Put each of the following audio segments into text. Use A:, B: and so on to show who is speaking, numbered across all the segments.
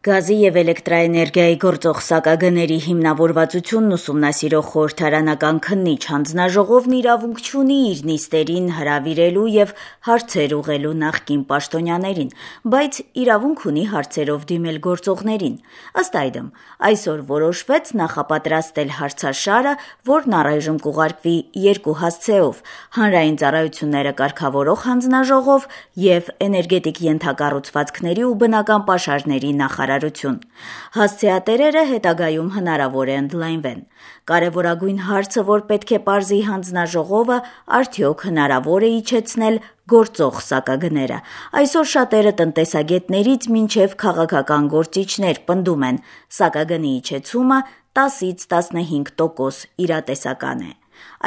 A: Գազի եւ էլեկտրաէներգիայի գործող սակագների հիմնավորվածությունն ուսումնասիրող խորհրդարանական քննիչ հանձնաժողովն իրավունք չունի իր նիստերին հրավիրելու եւ հարցեր ուղղելու նախկին պաշտոնյաներին, բայց իրավունք ունի հարցերով դիմել գործողներին։ Ըստ այդմ, այսօր որոշվեց նախապատրաստել հարցաշարը, որն առայժմ կուղարկվի երկու հասցեով՝ հանրային ծառայությունները կարգավորող հանձնաժողով եւ էներգետիկ ենթակառուցվածքների ու բնական պաշարների նախարարություն։ Հասցեատերերը հետագայում հնարավոր է ընդլայնվեն։ Կարևորագույն հարցը, որ պետք է պարզի հանձնաժողովը, արդյոք հնարավոր է իջեցնել գործող սակագները։ Այսօր շատերը տնտեսագետներից մինչև քաղաքական գործիչներ պնդում են, սակագնի իջեցումը 10-ից 15% իրատեսական է։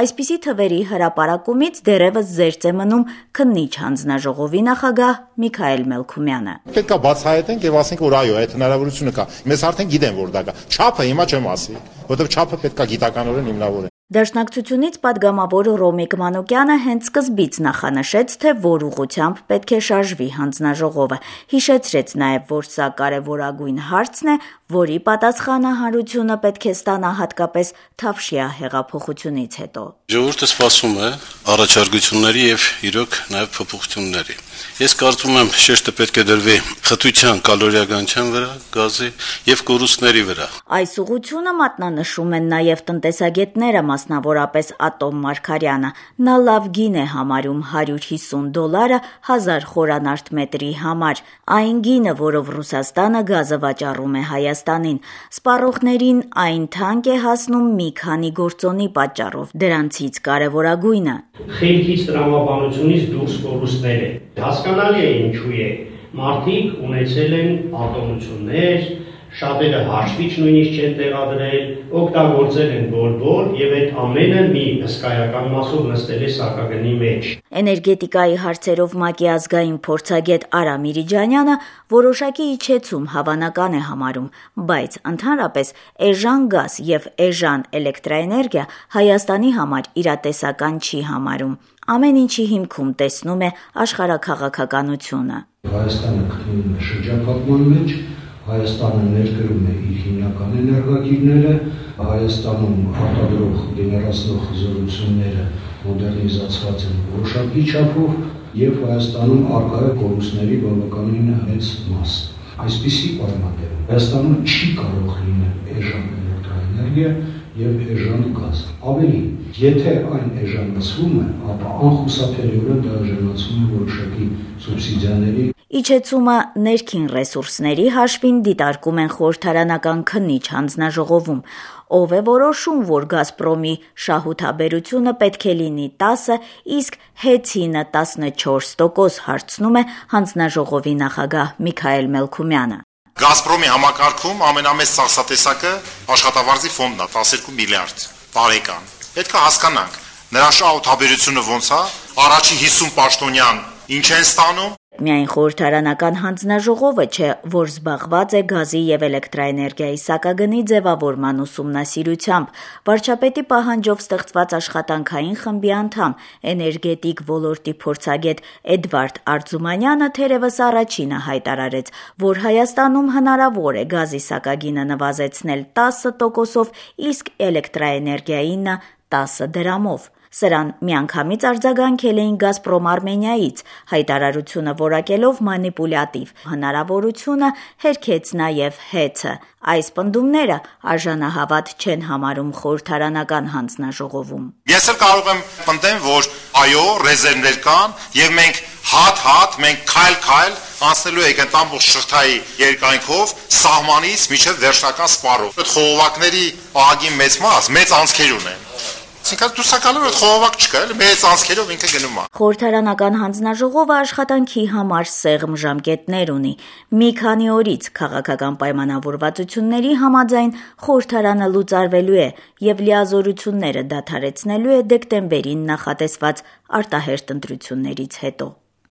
A: Այսպիսի թվերի հրապարակումից դեռևս զերծ է մնում քննիչ հանձնաժողովի նախագահ Միքայել Մելքումյանը։
B: Պետք է բացահայտենք եւ ասենք, որ այո, այդ հնարավորությունը կա։ Մեզ արդեն գիտեն, որ դա կա։ Չափը հիմա չեմ ասի, որովհետեւ չափը պետք է գիտականորեն հիմնավորել։
A: Դաշնակցությունից պատգամավոր Ռոմիկ Մանուկյանը հենց սկզբից նախանշեց, թե որ ուղղությամբ պետք է շարժվի հանձնաժողովը։ Հիշեցրեց նաև, որ սա կարևորագույն հարցն է, որի պատասխանը հանրությունը պետք է ստանա հատկապես Թավշյա հեղափոխությունից հետո։
C: Ժողովուրդը սպասում է առաջարկությունների եւ իրոք նաև փոփոխությունների։ Ես կարծում եմ, շեշտը պետք է դրվի խտության, կալորիականության վրա, գազի եւ կորուստների վրա։
A: Այս ուղղությունը մատնանշում են նաև տնտեսագետները, մասնավորապես Ատոմ Մարգարյանը։ Նա լավ գին է համարում $150 1000 խորանարդ մետրի համար, այն գինը, որով Ռուսաստանը գազը վաճառում է Հայաստանին։ Սպառողներին այն թանկ է հասնում մի քանի գործոնի պատճառով, դրանցից կարևորագույնը
D: խելքից տրամաբանությունից դուրս կորուստներ է։ Հասկանալի է ինչու է։ Մարդիկ ունեցել են ատոնություններ, շատերը հաշվիչ նույնիսկ չեն տեղադրել, օգտագործել են բոլ եւ այդ ամենը մի հսկայական մասով նստել է սակագնի մեջ։
A: Էներգետիկայի հարցերով ՄԱԿ-ի ազգային փորձագետ Արա Միրիջանյանը որոշակի իջեցում հավանական է համարում, բայց ընդհանրապես էժան գազ եւ էժան էլեկտրաէներգիա Հայաստանի համար իրատեսական չի համարում։ Ամեն ինչի հիմքում տեսնում է աշխարհաքաղաքականությունը։
E: Հայաստանը գտնվում է շրջափակման մեջ, Հայաստանը ներկրում է իր հիմնական էներգակիրները, Հայաստանում արտադրող գեներացնող զորությունները մոդեռնիզացված են որոշակի չափով եւ Հայաստանում առկա է կորուստների բավականին մեծ մաս։ Այսպիսի պայմաններում Հայաստանում չի կարող լինել էժան էլեկտրաէներգիա եւ էժան գազ։ Ավելի, եթե այն էժանացվում է, ապա անխուսափելիորեն դա էժանացում է որոշակի սուբսիդիաների։
A: Իջեցումը ներքին ռեսուրսների հաշվին դիտարկում են խորհրդարանական քննիչ հանձնաժողովում, ով է որոշում, որ Գազպրոմի շահութաբերությունը պետք է լինի 10, իսկ հեծինը 14% հարցնում է հանձնաժողովի նախագահ Միքայել Մելքումյանը։
B: Գազպրոմի համակարգում ամենամեծ ծախսատեսակը աշխատավարձի ֆոնդն է, 12 միլիարդ տարեկան։ Պետք է հասկանանք, նրա շահութաբերությունը ոնց է, առաջի 50 պաշտոնյան ինչ են ստանում։
A: Միայն խորհրդարանական հանձնաժողովը չէ, որ զբաղված է գազի եւ էլեկտրաէներգիայի սակագնի ձևավորման ուսումնասիրությամբ։ Վարչապետի պահանջով ստեղծված աշխատանքային խմբի անդամ, էներգետիկ ոլորտի փորձագետ Էդվարդ Արձումանյանը թերևս առաջինը հայտարարեց, որ Հայաստանում հնարավոր է գազի սակագինը նվազեցնել 10%-ով, իսկ էլեկտրաէներգիայինը 10 դրամով։ Սրան միանգամից արձագանքել էին Գազպրոմ Արմենիայից, հայտարարությունը որակելով մանիպուլյատիվ հնարավորությունը հերքեց նաև ՀԵՑ-ը։ Այս պնդումները արժանահավատ չեն համարում խորհրդարանական հանձնաժողովում։
B: Ես էլ կարող եմ պնդեմ, որ այո, ռեզերվներ կան եւ մենք հատ, մենք քայլ անցնելու ենք այդ ամբողջ շղթայի երկայնքով սահմանից մինչև վերջնական սպառով։ Այդ խողովակների ահագին մեծ մաս մեծ անցքեր ունեն։ Այսինքն դուսակալով այդ խողովակ չկա, էլ մեծ անցքերով ինքը գնում է։
A: Խորհրդարանական հանձնաժողովը աշխատանքի համար սեղմ ժամկետներ ունի։ Մի քանի օրից քաղաքական պայմանավորվածությունների համաձայն խորհրդարանը լուծարվելու է եւ լիազորությունները դադարեցնելու է դեկտեմբերին նախատեսված արտահերթ ընտրություններից հետո։